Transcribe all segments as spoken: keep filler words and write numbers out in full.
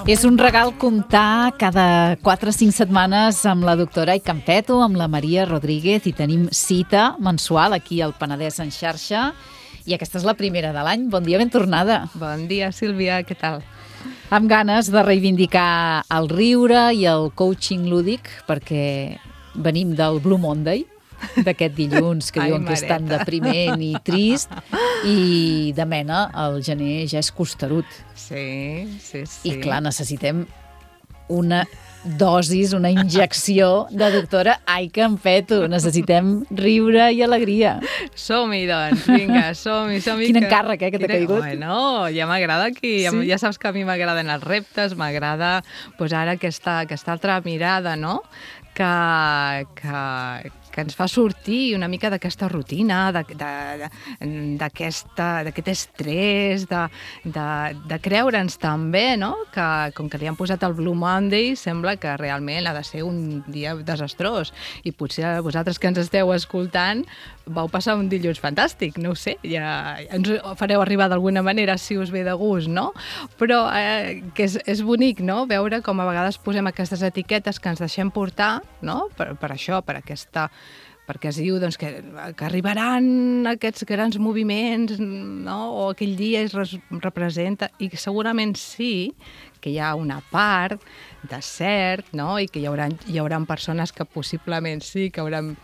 És un regal comptar cada quatre o cinc setmanes amb la doctora Ai Campeto, amb la Maria Rodríguez, i tenim cita mensual aquí al Penedès en xarxa. I aquesta és la primera de l'any. Bon dia, ben tornada. Bon dia, Sílvia, què tal? Amb ganes de reivindicar el riure i el coaching lúdic, perquè venim del Blue Monday, d'aquest dilluns que Ai, diuen que és tan mareta. depriment i trist, i de mena el gener ja és costerut. Sí, sí, sí. I clar, necessitem una dosis, una injecció de doctora Ai Campeto. Necessitem riure i alegria. Som-hi, doncs, vinga, som-hi, som-hi. Quin que... encàrrec, eh, que t'ha Quina- caigut. Bueno, ja m'agrada aquí, ja, Sí? ja saps que a mi m'agraden els reptes, m'agrada pues, ara aquesta, aquesta altra mirada, no?, que, que, que ens fa sortir una mica d'aquesta rutina, de- de- de- d'aquesta- d'aquest estrès, de, de, de creure'ns també, no?, que com que li han posat el Blue Monday, sembla que realment ha de ser un dia desastrós. I potser vosaltres que ens esteu escoltant vau passar un dilluns fantàstic, no ho sé, ja ens ho fareu arribar d'alguna manera si us ve de gust, no? Però eh, que és, és bonic, no?, veure com a vegades posem aquestes etiquetes que ens deixem portar, no?, per, per això, per aquesta perquè es diu doncs, que, que arribaran aquests grans moviments, no?, o aquell dia es res, representa, i segurament sí que hi ha una part de cert, no?, i que hi haurà, hi haurà persones que possiblement sí que hauran,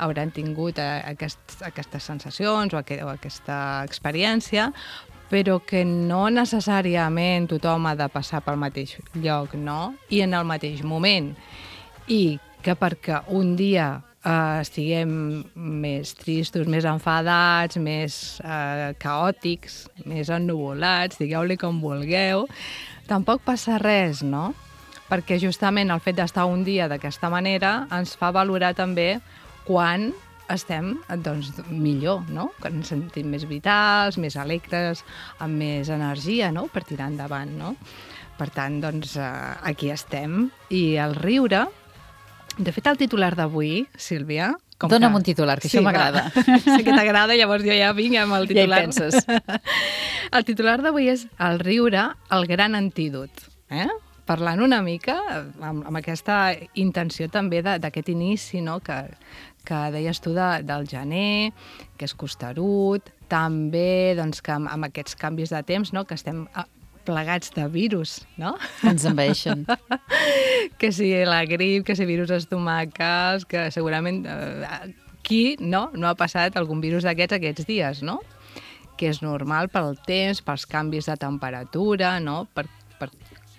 hauran tingut eh, aquest, aquestes sensacions o, aqu o aquesta experiència, però que no necessàriament tothom ha de passar pel mateix lloc, no?, i en el mateix moment. I que perquè un dia eh, estiguem més tristos, més enfadats, més eh, caòtics, més ennuvolats, digueu-li com vulgueu, tampoc passa res, no? Perquè justament el fet d'estar un dia d'aquesta manera ens fa valorar també quan estem doncs, millor, no?, que ens sentim més vitals, més alegres, amb més energia, no?, per tirar endavant, no? Per tant, doncs, eh, aquí estem. I el riure... De fet, el titular d'avui, Sílvia... Com Dóna'm que... un titular, que sí, això m'agrada. Sé que t'agrada, llavors jo ja vinc amb el titular. Ja hi penses. El titular d'avui és el riure, el gran antídot. Eh? Parlant una mica amb, amb aquesta intenció també de- d'aquest inici, no?, que, que deies tu de, del gener, que és costerut, també doncs, que amb, amb aquests canvis de temps, no?, que estem ah, plegats de virus, no? Ens envaeixen. Que si la grip, que si virus estomacals, que segurament eh, qui no, no ha passat algun virus d'aquests aquests dies, no? Que és normal pel temps, pels canvis de temperatura, no? Per, per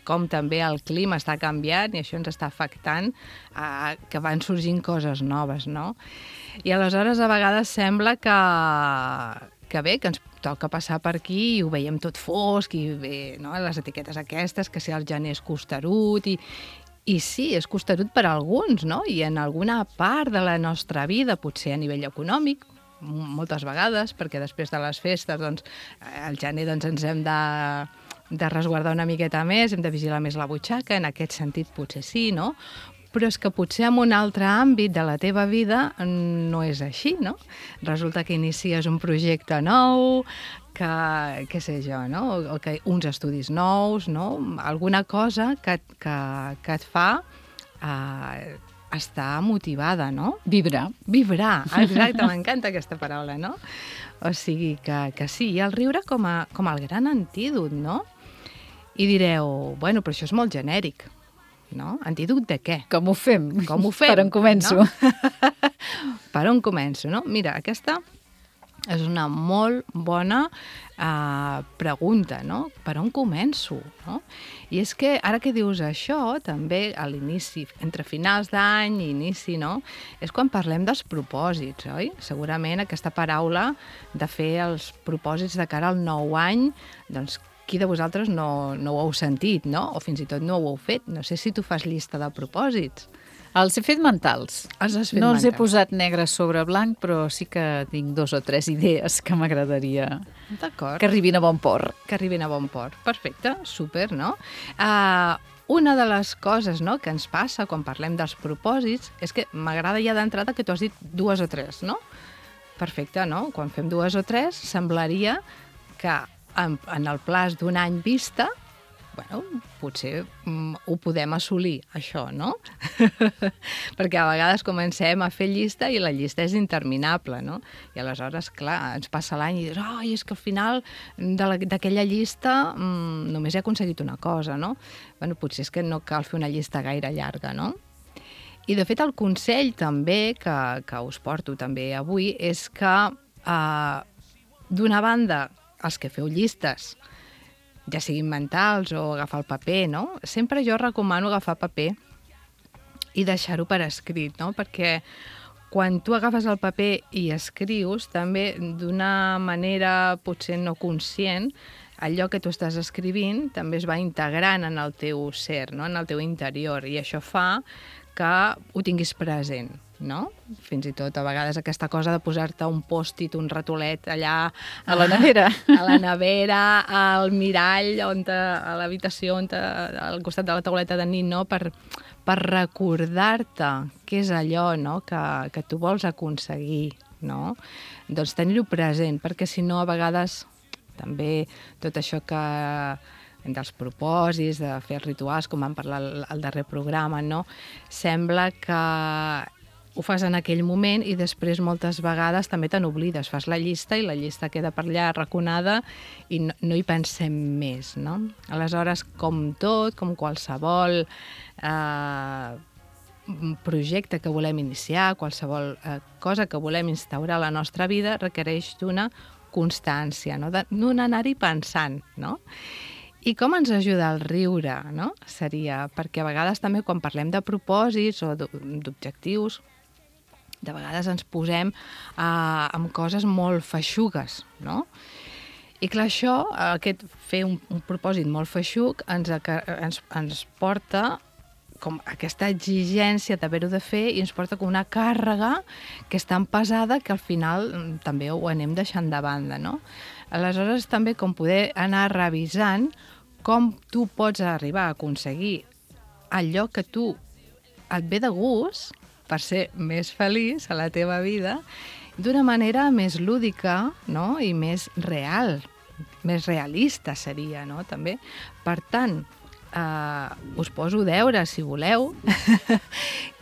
com també el clima està canviant i això ens està afectant, eh, que van sorgint coses noves, no? I aleshores a vegades sembla que, que bé, que ens toca passar per aquí i ho veiem tot fosc i bé, no?, les etiquetes aquestes, que si el gener és costerut i, i sí, és costerut per a alguns, no?, i en alguna part de la nostra vida, potser a nivell econòmic, m- moltes vegades, perquè després de les festes, doncs, al gener doncs, ens hem de, de resguardar una miqueta més, hem de vigilar més la butxaca, en aquest sentit potser sí, no?, però és que potser en un altre àmbit de la teva vida no és així, no? Resulta que inicies un projecte nou, que, què sé jo, no? O, o que uns estudis nous, no? Alguna cosa que, que, que et fa eh, estar motivada, no? Vibrar. Vibrar, exacte, m'encanta aquesta paraula, no? O sigui que, que sí, i el riure com, a, com el gran antídot, no? I direu, bueno, però això és molt genèric, no? Antídot de què? Com ho fem? Com ho fem? Per on començo? No? Per on començo, no? Mira, aquesta és una molt bona uh, pregunta, no? Per on començo, no? I és que ara que dius això, també a l'inici, entre finals d'any i inici, no?, és quan parlem dels propòsits, oi? Segurament aquesta paraula de fer els propòsits de cara al nou any, doncs qui de vosaltres no, no ho heu sentit, no? O fins i tot no ho heu fet. No sé si tu fas llista de propòsits. Els he fet mentals. Els has fet no els he mentals. posat negre sobre blanc, però sí que tinc dos o tres idees que m'agradaria D'acord. que arribin a bon port. Que arribin a bon port. Perfecte, super, no? Uh, una de les coses, no, que ens passa quan parlem dels propòsits és que m'agrada ja d'entrada que tu has dit dues o tres, no? Perfecte, no? Quan fem dues o tres, semblaria que en, en el plaç d'un any vista bueno, potser mm, ho podem assolir, això, no? Perquè a vegades comencem a fer llista i la llista és interminable, no? I aleshores, clar, ens passa l'any i dius, ai, és que al final d'aquella llista mm, només he aconseguit una cosa, no? Bueno, potser és que no cal fer una llista gaire llarga, no? I, de fet, el consell també que, que us porto també avui és que, eh, d'una banda, els que feu llistes, ja siguin mentals o agafar el paper, no? Sempre jo recomano agafar paper i deixar-ho per escrit, no? Perquè quan tu agafes el paper i escrius, també d'una manera potser no conscient, allò que tu estàs escrivint també es va integrant en el teu ser, no? En el teu interior, i això fa que ho tinguis present, no? Fins i tot a vegades aquesta cosa de posar-te un pòst-it, un ratolet allà a la nevera, a la nevera, al mirall, on te, a l'habitació, on te, al costat de la tauleta de nit, no? Per, per recordar-te què és allò, no? que, que tu vols aconseguir, no? Doncs tenir-ho present, perquè si no a vegades també tot això que dels propòsits, de fer rituals, com vam parlar al, al darrer programa, no? Sembla que ho fas en aquell moment i després moltes vegades també te n'oblides. Fas la llista i la llista queda per allà arraconada i no, no hi pensem més, no? Aleshores, com tot, com qualsevol eh, projecte que volem iniciar, qualsevol eh, cosa que volem instaurar a la nostra vida, requereix d'una constància, no? D'un anar-hi pensant, no? I com ens ajuda el riure, no? Seria, perquè a vegades també quan parlem de propòsits o d'objectius, de vegades ens posem eh, amb coses molt feixugues, no? I clar, això, aquest fer un, un propòsit molt feixuc, ens, ens, ens porta com aquesta exigència d'haver-ho de fer i ens porta com una càrrega que és tan pesada que al final també ho anem deixant de banda, no? Aleshores, també com poder anar revisant com tu pots arribar a aconseguir allò que tu et ve de gust per ser més feliç a la teva vida d'una manera més lúdica, no? I més real, més realista seria, no? També. Per tant, Uh, us poso deure, si voleu,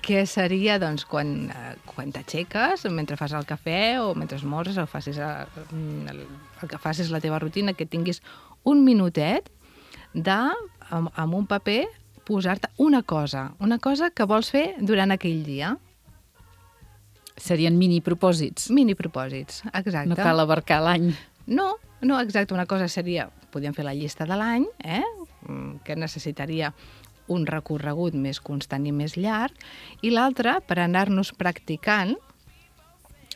que seria doncs, quan, uh, quan t'aixeques, mentre fas el cafè o mentre esmorzes o facis el, el, el que facis la teva rutina, que tinguis un minutet de, amb, amb un paper, posar-te una cosa, una cosa que vols fer durant aquell dia. Serien mini propòsits. Mini propòsits, exacte. No cal abarcar l'any. No, no, exacte. Una cosa seria, podríem fer la llista de l'any, eh? Que necessitaria un recorregut més constant i més llarg, i l'altra, per anar-nos practicant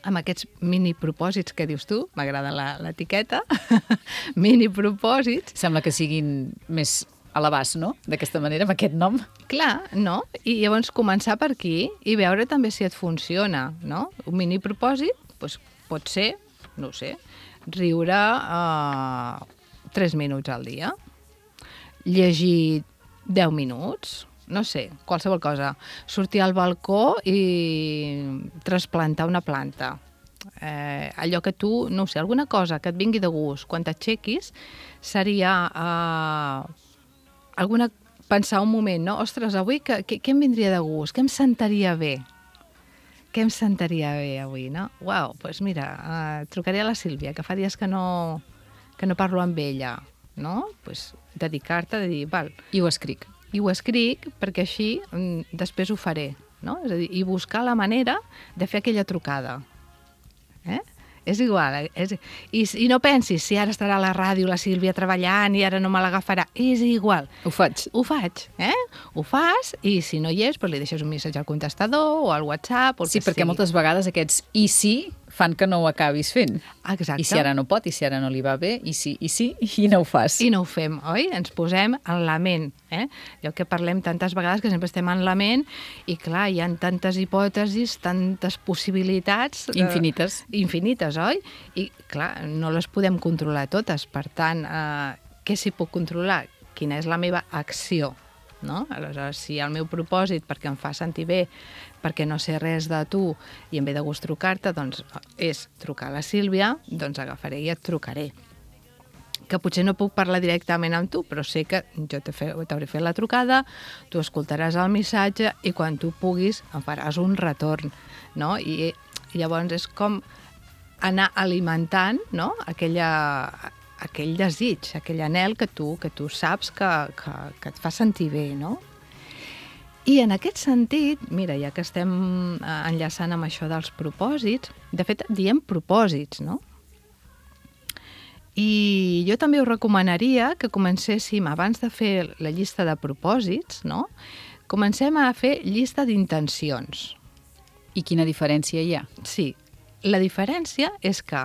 amb aquests mini propòsits que dius tu, m'agrada l'etiqueta, mini propòsits. Sembla que siguin més a l'abast, no? D'aquesta manera, amb aquest nom. Clar, no? I llavors començar per aquí i veure també si et funciona, no? Un mini propòsit doncs, pot ser, no ho sé, riure eh, tres minuts al dia, llegir deu minuts, no sé, qualsevol cosa. Sortir al balcó i trasplantar una planta. Eh, allò que tu, no ho sé, alguna cosa que et vingui de gust. Quan t'aixequis seria eh, alguna, pensar un moment, no? Ostres, avui què, què, què em vindria de gust? Què em sentaria bé? Què em sentaria bé avui, no? Uau, doncs mira, eh, trucaré a la Sílvia, que fa dies que no, que no parlo amb ella, no? Pues dedicar-te a dir, val. I ho escric. I ho escric perquè així mm, després ho faré, no? És a dir, i buscar la manera de fer aquella trucada. Eh? És igual. És... I, I no pensis si ara estarà a la ràdio la Sílvia treballant i ara no me l'agafarà. És igual. Ho faig. Ho faig, eh? Ho fas i si no hi és, doncs li deixes un missatge al contestador o al WhatsApp o el sí, que perquè sigui. Moltes vegades aquests i sí fan que no ho acabis fent. Exacte. I si ara no pot, i si ara no li va bé, i sí, i sí, i no ho fas. I no ho fem, oi? Ens posem en la ment, eh? Allò que parlem tantes vegades, que sempre estem en la ment, i clar, hi ha tantes hipòtesis, tantes possibilitats... Infinites. Eh, infinites, oi? I clar, no les podem controlar totes, per tant, eh, què s'hi pot controlar? Quina és la meva acció? No? Aleshores, si el meu propòsit perquè em fa sentir bé, perquè no sé res de tu i em ve de gust trucar-te, doncs és trucar a la Sílvia, doncs agafaré i et trucaré. que potser no puc parlar directament amb tu, però sé que jo t'hauré fet la trucada, tu escoltaràs el missatge i quan tu puguis em faràs un retorn, no? I, i llavors és com anar alimentant, no? Aquella, aquell desig, aquell anhel que tu, que tu saps que, que, que et fa sentir bé, no? I en aquest sentit, mira, ja que estem enllaçant amb això dels propòsits, de fet, diem propòsits, no? I jo també us recomanaria que comencéssim, abans de fer la llista de propòsits, no? Comencem a fer llista d'intencions. I quina diferència hi ha? Sí, la diferència és que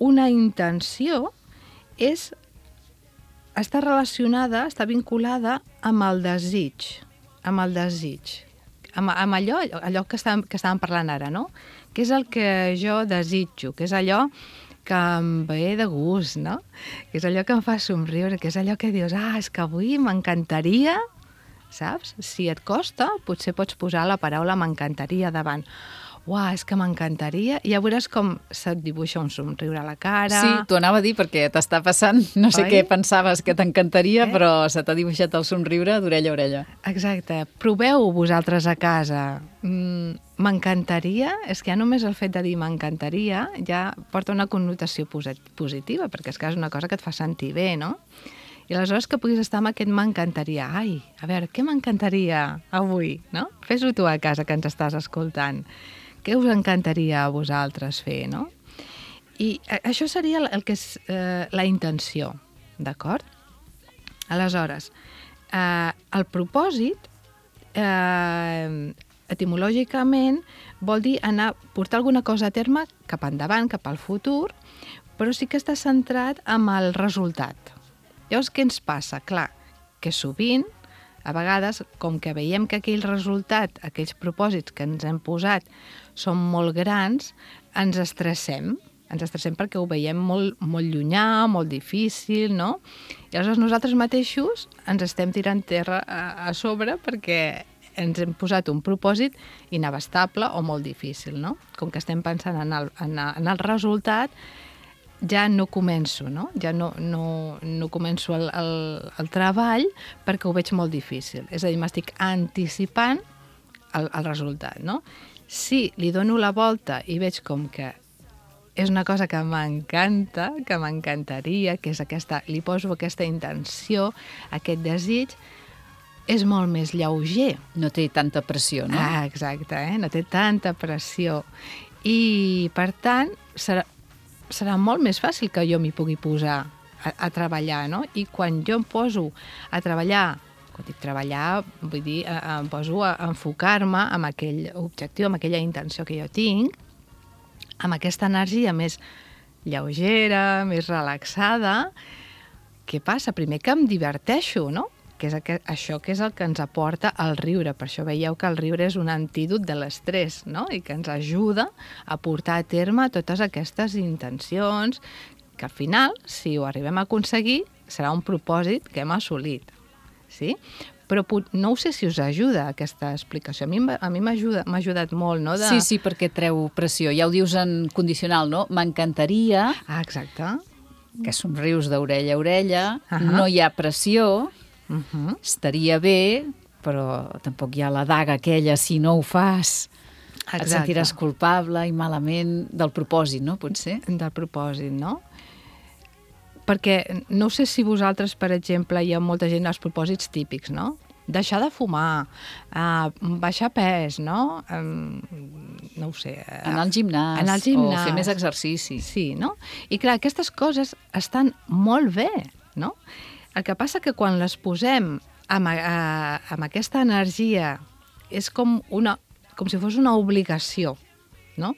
una intenció és, està relacionada, està vinculada amb el desig, amb el desig, amb, amb allò, allò que estàvem, que estàvem parlant ara, no? Que és el que jo desitjo, que és allò que em ve de gust, no? Que és allò que em fa somriure, que és allò que dius, ah, és que avui m'encantaria, saps? Si et costa, potser pots posar la paraula m'encantaria davant. Uah, és que m'encantaria. I ja veuràs com se't dibuixa un somriure a la cara. Sí, t'ho anava a dir perquè t'està passant. No sé Oi? què pensaves que t'encantaria, Eh? però se t'ha dibuixat el somriure d'orella a orella. Exacte. Proveu vosaltres a casa. Mm, m'encantaria, és que ja només el fet de dir m'encantaria ja porta una connotació posit- positiva, perquè és que és una cosa que et fa sentir bé, no? I aleshores que puguis estar amb aquest m'encantaria. Ai, a veure, què m'encantaria avui, no? Fes-ho tu a casa que ens estàs escoltant. Què us encantaria a vosaltres fer, no? I això seria el que és eh, la intenció, d'acord? Aleshores, eh, el propòsit, eh, etimològicament, vol dir anar, portar alguna cosa a terme cap endavant, cap al futur, però sí que està centrat en el resultat. Llavors, què ens passa? Clar, que sovint, a vegades, com que veiem que aquell resultat, aquells propòsits que ens hem posat són molt grans, ens estressem. Ens estressem perquè ho veiem molt, molt llunyà, molt difícil, no? I aleshores nosaltres mateixos ens estem tirant terra a, a sobre perquè ens hem posat un propòsit inabastable o molt difícil, no? Com que estem pensant en el, en el, en el resultat, ja no començo, no? Ja no, no, no començo el, el, el treball perquè ho veig molt difícil. És a dir, m'estic anticipant el, el resultat, no? Si li dono la volta i veig com que és una cosa que m'encanta, que m'encantaria, que és aquesta, li poso aquesta intenció, aquest desig, és molt més lleuger. No té tanta pressió, no? Ah, exacte, eh? No té tanta pressió. I, per tant, serà, serà molt més fàcil que jo m'hi pugui posar a, a treballar, no? I quan jo em poso a treballar, quan dic treballar, vull dir, em poso a enfocar-me amb aquell objectiu, amb aquella intenció que jo tinc, amb aquesta energia més lleugera, més relaxada, què passa? Primer que em diverteixo, no? Que és aquest, això que és el que ens aporta el riure. Per això veieu que el riure és un antídot de l'estrès, no? I que ens ajuda a portar a terme totes aquestes intencions que al final, si ho arribem a aconseguir, serà un propòsit que hem assolit. Sí? Però no sé si us ajuda aquesta explicació. A mi a mi m'ha ajudat, m'ha ajudat molt, no? De... Sí, sí, perquè treu pressió. Ja ho dius en condicional, no? M'encantaria... Ah, exacte. Que somrius d'orella a orella, Uh-huh. no hi ha pressió, Uh-huh. estaria bé, però tampoc hi ha la daga aquella, si no ho fas, et Exacte. sentiràs culpable i malament del propòsit, no? Potser? Del propòsit, no? Perquè no sé si vosaltres, per exemple, hi ha molta gent als propòsits típics, no? Deixar de fumar, uh, baixar pes, no? Um, no ho sé. Uh, Anar al gimnàs, anar al gimnàs, o fer més exercici. Sí, no? I clar, aquestes coses estan molt bé, no? El que passa que quan les posem amb, uh, amb aquesta energia és com, una, com si fos una obligació, no?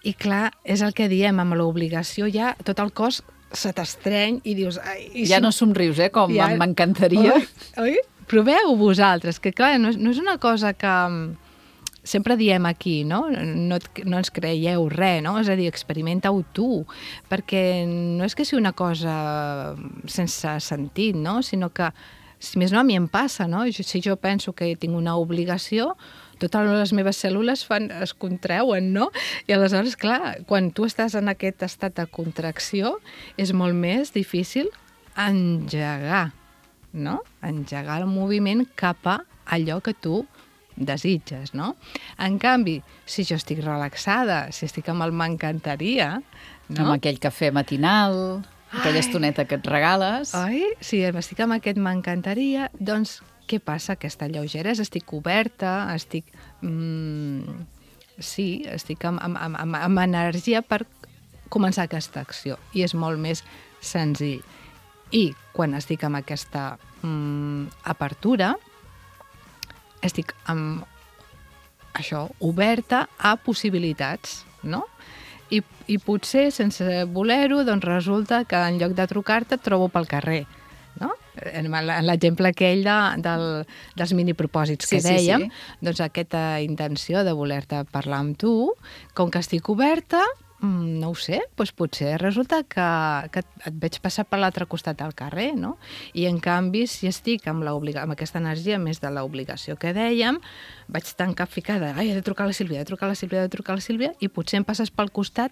I clar, és el que diem, amb l'obligació ja tot el cos se t'estreny i dius... Ai, i Ja si... no somrius, eh? Com Ja- m'encantaria. Oi? Oi? Proveu vosaltres, que clar, no és, no és una cosa que mm, sempre diem aquí, no? No, et, no ens creieu res, no? És a dir, experimenta-ho tu, perquè no és que sigui una cosa sense sentit, no? Sinó que, si més no, a mi em passa, no? Jo, si jo penso que tinc una obligació, totes les meves cèl·lules fan, es contrauen, no? I aleshores, clar, quan tu estàs en aquest estat de contracció, és molt més difícil engegar, no? Engegar el moviment cap a allò que tu desitges, no? En canvi, si jo estic relaxada, si estic amb el m'encantaria, no? Amb aquell cafè matinal, aquella estoneta que et regales. Oi? Si estic amb aquest m'encantaria, doncs què passa? Aquesta lleugeresa, estic coberta, estic... Mm, sí, estic amb, amb, amb, amb energia per començar aquesta acció. I és molt més senzill. I quan estic amb aquesta mm, apertura, estic amb això, oberta a possibilitats, no? I, i potser, sense voler-ho, doncs resulta que en lloc de trucar-te et trobo pel carrer, no? En l'exemple aquell de, del, dels minipropòsits que sí, sí, dèiem, sí. Doncs aquesta intenció de voler-te parlar amb tu, com que estic oberta, no ho sé, doncs potser resulta que, que et veig passar per l'altre costat del carrer, no? I en canvi, si estic amb, amb aquesta energia més de l'obligació que dèiem, vaig tan capficada, ai, he de trucar a la Sílvia, he de trucar a la Sílvia, he de trucar a la Sílvia, i potser em passes pel costat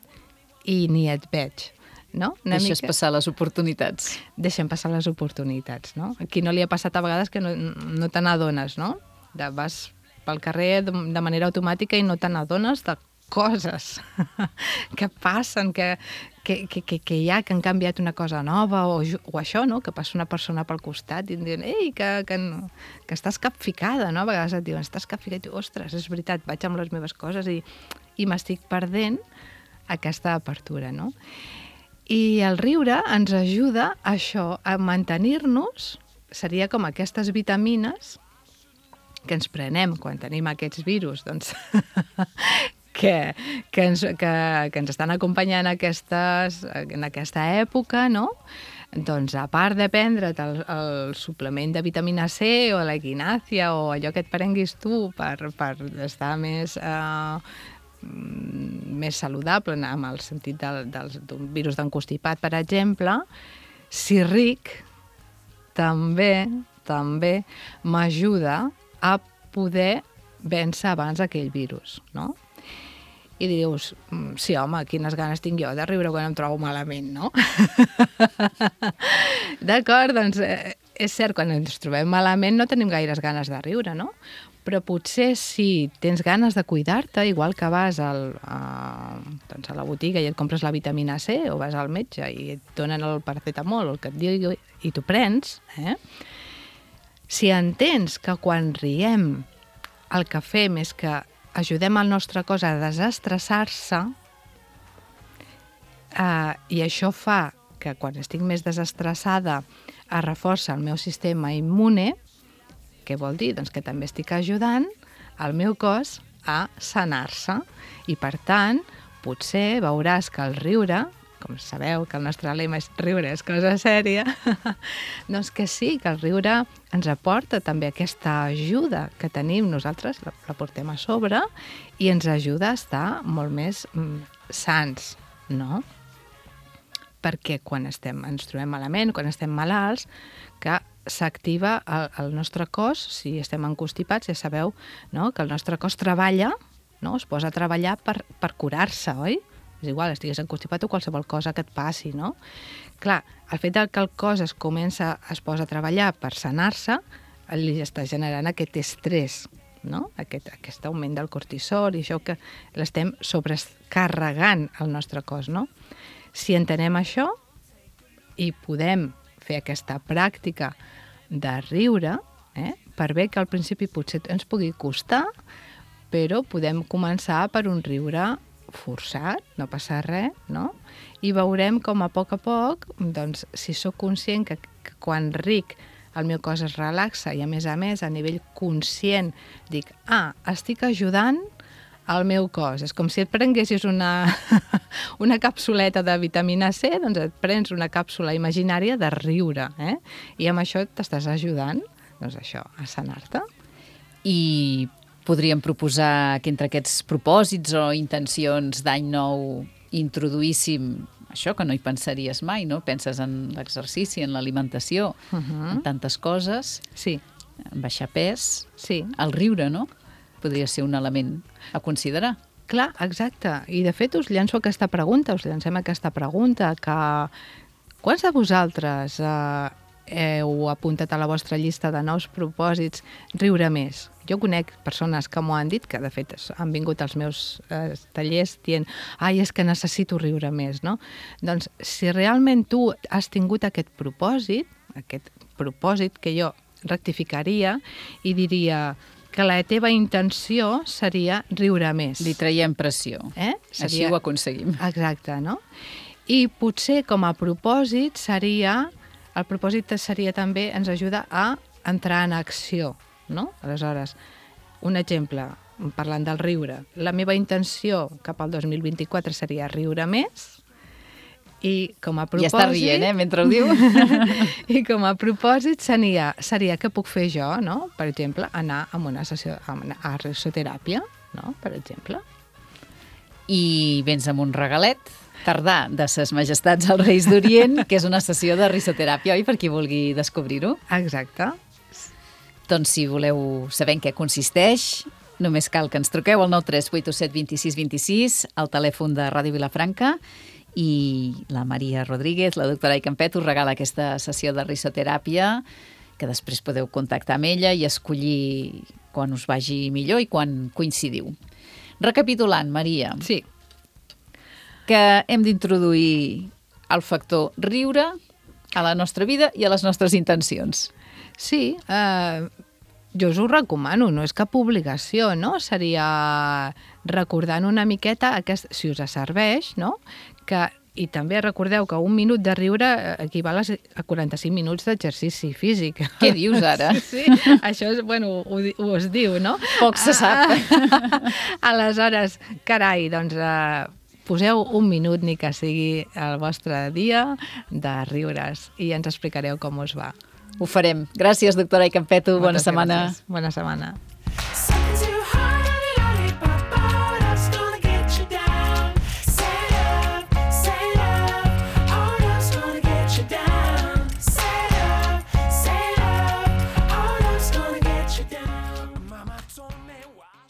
i ni et veig, no? Una Deixes mica... passar les oportunitats. Deixem passar les oportunitats, no? Aquí no li ha passat a vegades que no, no te n'adones, no? De, vas pel carrer de, de manera automàtica i no te n'adones de coses que passen, que, que, que, que hi ha, que han canviat una cosa nova, o, o això, no? Que passa una persona pel costat i em diuen, ei, que, que, que estàs capficada, no? A vegades et diuen, estàs capficada, i tu, ostres, és veritat, vaig amb les meves coses i, i m'estic perdent aquesta apertura, no? I el riure ens ajuda a això, a mantenir-nos, seria com aquestes vitamines que ens prenem quan tenim aquests virus, doncs, que, que, ens, que, que ens estan acompanyant aquestes, en aquesta època, no? Doncs, a part de prendre't el, el suplement de vitamina C o la equinàcia o allò que et prenguis tu per, per estar més... Eh, més saludable amb el sentit del, del, d'un virus d'encostipat, per exemple, si ric també també m'ajuda a poder vèncer abans aquell virus, no? I dius, sí, home, quines ganes tinc jo de riure quan em trobo malament, no? D'acord, doncs eh, és cert, quan ens trobem malament no tenim gaires ganes de riure, no? Però potser si tens ganes de cuidar-te, igual que vas al, a, doncs a la botiga i et compres la vitamina C, o vas al metge i et donen el paracetamol o el que et digui i t'ho prens, eh? Si entens que quan riem el que fem és que ajudem el nostre cos a desestressar-se, eh, i això fa que quan estic més desestressada es reforça el meu sistema immune. Què vol dir? Doncs que també estic ajudant el meu cos a sanar-se i, per tant, potser veuràs que el riure, com sabeu que el nostre lema és riure és cosa sèria, doncs que sí, que el riure ens aporta també aquesta ajuda que tenim nosaltres, la, la portem a sobre, i ens ajuda a estar molt més mm, sans, no? Perquè quan estem, ens trobem malament, quan estem malalts, que s'activa el, el nostre cos, si estem encostipats, ja sabeu, no? Que el nostre cos treballa, no? Es posa a treballar per, per curar-se, oi? És igual, estigués encostipat o qualsevol cosa que et passi, no? Clar, el fet que el cos es comença, es posa a treballar per sanar-se, li està generant aquest estrès, no? Aquest, aquest augment del cortisol i això que l'estem sobrecarregant al nostre cos, no? Si entenem això i podem fer aquesta pràctica de riure, eh, per bé que al principi potser ens pugui costar, però podem començar per un riure forçat, no passa res, no? I veurem com a poc a poc, doncs, si sóc conscient que, que quan ric el meu cos es relaxa i, a més a més, a nivell conscient, dic, ah, estic ajudant al meu cos. És com si et prenguessis una, una capsuleta de vitamina C, doncs et prens una càpsula imaginària de riure, eh? I amb això t'estàs ajudant, doncs això, a sanar-te. I podríem proposar que entre aquests propòsits o intencions d'any nou introduíssim això que no hi pensaries mai, no? Penses en l'exercici, en l'alimentació, uh-huh. en tantes coses. Sí. En baixar pes. Sí. El riure, no? podria ser un element a considerar. Clar, exacte. I de fet us llanço aquesta pregunta, us llancem aquesta pregunta, que quants de vosaltres eh, heu apuntat a la vostra llista de nous propòsits riure més? Jo conec persones que m'ho han dit, que de fet han vingut als meus eh, tallers dient ai, és que necessito riure més, no? Doncs si realment tu has tingut aquest propòsit, aquest propòsit que jo rectificaria i diria que la teva intenció seria riure més. Li traiem pressió. Eh? Seria... Així ho aconseguim. Exacte, no? I potser com a propòsit seria... El propòsit seria també, ens ajuda a entrar en acció, no? Aleshores, un exemple, parlant del riure. La meva intenció cap al dos mil vint-i-quatre seria riure més, i com a propòsit... Ja està rient, eh, mentre ho diu. I com a propòsit seria, seria què puc fer jo, no? Per exemple, anar a una sessió a, a risoteràpia, no? Per exemple. I vens amb un regalet tardà de ses majestats als Reis d'Orient, que és una sessió de risoteràpia, oi? Per qui vulgui descobrir-ho. Exacte. Doncs si voleu saber en què consisteix, només cal que ens truqueu al nou tres vuit set dos sis dos sis, al telèfon de Ràdio Vilafranca, i la Maria Rodríguez, la doctora Icampet, us regala aquesta sessió de risoteràpia, que després podeu contactar amb ella i escollir quan us vagi millor i quan coincidiu. Recapitulant, Maria. Sí. Que hem d'introduir el factor riure a la nostra vida i a les nostres intencions. Sí, eh, jo us ho recomano, no és cap obligació, no? Seria recordant una miqueta, aquest, si us serveix, no? Que, i també recordeu que un minut de riure equival a quaranta-cinc minuts d'exercici físic. Què dius ara? Sí, sí, això és, bueno, ho, ho es diu, no? Poc se sap. Aleshores, carai, doncs eh, poseu un minut, ni que sigui el vostre dia, de riures i ens explicareu com us va. Ho farem. Gràcies, doctora Icampet. Bona setmana. Gràcies. Bona setmana.